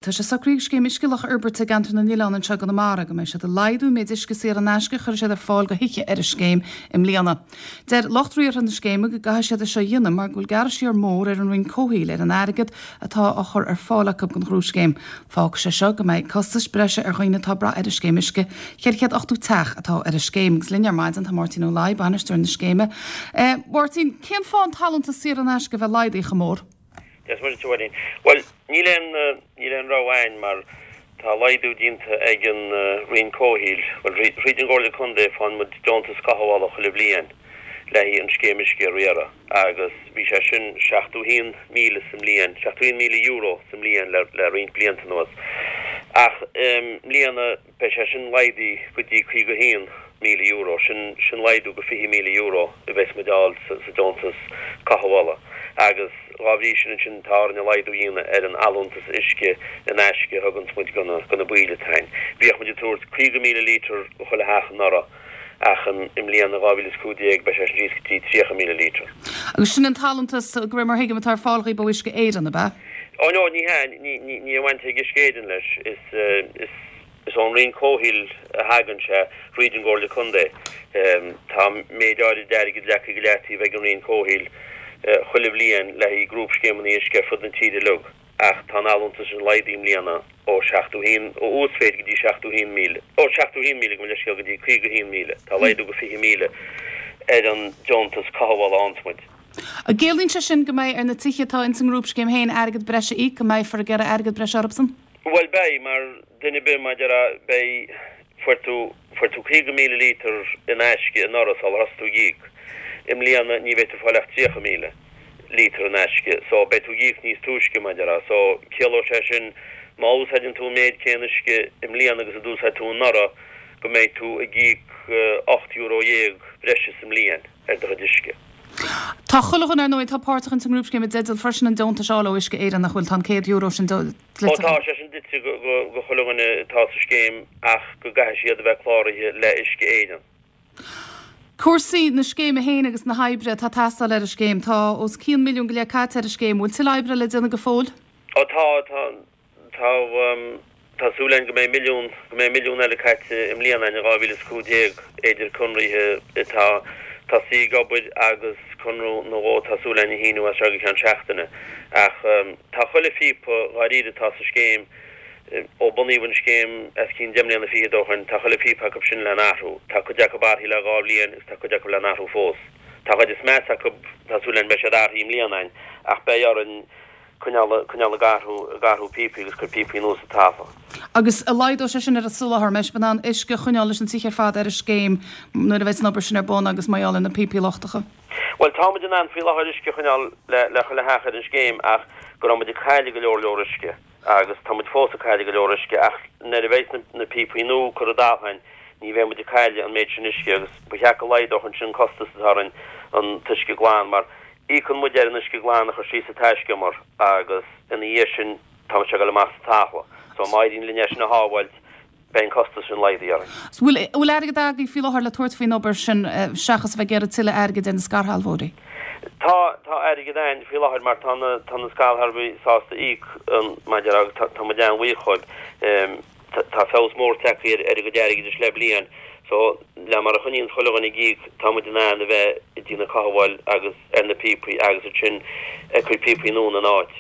Tá sé socraithe ag Scéim Uisce Locha Iarbairte i gCeantar na nOileán anseo i gConamara go mbeidh siad ag laghdú an méid uisce saor in aisce a chuirfidh siad ar fáil do thithe ar an scéim i mbliana. Deir lucht riartha na scéime go gcaithfidh siad é seo a dhéanamh mar go bhfuil gearradh siar mór ar an Roinn Comhshaoil ar an airgead atá á chur ar fáil acu don ghrúpscéim. Fágfaidh sé seo go mbeidh costais breise ar dhaoine atá ag brath ar an scéim uisce. 480 teach atá ar an scéim. Agus linn ar maidin tá Máirtín Ó Laoi, bainisteoir na scéime. Máirtín, cén fáth an t-allúntas saor in aisce a bheith laghdaithe chomh mór? Dia is Muire duit a Mháirín. Bhuel, níl aon, níl aon rogha a'ainn mar tá laghdú déanta ag an Roinn Comhshaoil, bhuel, thríd an gComhairle Contae faigheann muid deontas cothabhála chuile bhliain le haghaidh an scéim uisce a riaradh agus bhí sé sin 71,000 sa mbliain, €71,000 sa mbliain le, le roinnt blianta anuas. Ach i mbliana Beidh sé sin laghdaithe go dtí €51,000, sin sin laghdú go €20,000 a bheas muid a fháil sa deontas cothabhála agus dhá bhrí sin ansin tá orainn an laghdú a dhéanamh ar an allúntas uisce in aisce a thuganns muid go na baill atá a'ainn. Bhíodh muid ag tabhairt 50,000 lítear go chuile theach anuraidh ach i mbliana, 2015, beidh sé sin síos go dtí 30,000 lítear. Agus sin an t-allúntas, de réir mar a thuigim, atá ar fáil dhaoib ó Uisce Éireann, ab ea? Ó no, ní hea, ní aon bhaint ag Uisce Éireann leis. Is is ón Roinn Comhshaoil a thagann sé, thríd an gComhairle Contae. Tá méid áirid airgid leagtha go leataobh ag an Roinn Comhshaoil chuile bhliain le haghaidh grúpscéimeanna uisce ar fud na tíre uilig, ach tá an allúntas sin laghdaithe i mbliana ó 71, ó uasmhéid go dtí 71,000, ó 71,000 gabh mo leithscéal go dtí 51,000. Tá laghdú go 20,000 ar an deontas cothabhála a fhaigheanns muid. An gciallaíonn sé sin go mbeidh ar na tithe atá ins an ngrúpscéim féin airgead breise a íoc, go mbeifear ag iarraidh airgead breise orthusan? Bhuel beidh, mar duine ar bith mar a déarfá, beidh, fuair tú, fuair tú 50,000 lítear in aisce anuraidh sular thosaigh tú ag íoc. I mbliana ní bheidh tú ag fáil ach 30,000 lítear in aisce, so beidh tú ag íoc níos túisce mar a déarfá. So ciallóidh sé sin má úsáideann tú an méid céanna uisce i mbliana agus a d'úsáid tú anuraidh go mbeidh tú ag íoc €18 breise sa mbliain. ar do chuid uisce. Tá chuile dhuine, ar ndóigh, atá páirteach ins an ngrúpscéim i dteideal freisin an deontais a fháil ó Uisce Éireann, nach bhfuil? Tá an €100 sin dlite Ó tá sé sin dlite go chuile dhuine atá sa scéim ach go gcaithfidh siad a bheith cláraithe le Uisce Éireann. Cúrsaí na scéime féin agus na hoibre atá ag teastáil ar an scéim. Tá os cionn milliún go leith caite ar an scéim. Bhfuil tuilleadh oibre le déanamh go fóill? Ó tá, tá. Tá, tá súil againn go mbeidh milliún, go mbeidh milliún eile caite i mbliana in 2015 idir conraithe atá tosaithe ag obair agus conradh nó dhó tá súil againn a shíniú as seo go ceann seachtaine. Ach tá chuile phíopa dháiríre atá sa scéim, ó bunaíodh an scéim os cionn deich mbliana fichead ó shoin, tá chuile phíopa acu sin le n-athrú. Tá cuid acu athraithe le dhá bhliain agus tá cuid acu le n-athrú fós. Tá an chuid is measa acu, tá súil againn beidh siad athraithe i mbliana againn ach beidh orainn, coinneáil, coinneáil ag athrú, ag athrú píopaí agus cur píopaí nua sa talamh. Agus an laghdóidh sé sin ar an soláthar, an mbeidh sibh in ann uisce a choinneáil leis na tithe ar fad ar an scéim nuair a bheidh an obair sin ar bun agus mar gheall ar na píopaí lochtacha? Bhuel, tá muid in ann faoi láthair uisce a choinneáil le, le chuile theach ar an scéim ach go raibh muid ag cailleadh go leor leor uisce agus tá muid fós ag cailleadh go leor uisce ach nuair a bheidh na, na píopaí nua curtha i dtalamh againn ní bheidh muid ag cailleadh an méid sin uisce agus ba cheart go laghdódh ansin an costas atá orainn an t-uisce glan mar Íocann muid ar an uisce glan a chur síos sa taiscumar agus ina dhiaidh sin tá sé ag dul amach sa talamh. So má éiríonn linn é sin a shábháilt beidh an costas sin laghdaithe orainn. So bhfuil, bhfuil airgead agaibh faoi láthair le tabhairt faoin obair sin seachas a bheith ag iarraidh tuilleadh airgid ar na scairshealbhóirí? Tá, tá airgead againn faoi láthair mar tá na, tá na scairshealbhóirí sásta íoc an, mar a déarfá agus tá, tá muid an-bhuíoch dhóibh. Tá feabhas mór tagtha ar a gcuid airgeadais le bliain so le mar a choinníonn chuile dhuine ag íoc tá muid in ann a bheith ag déanamh cothabháil agus ar na píopaí agus ansin ag cur píopaí nua ina n-áit.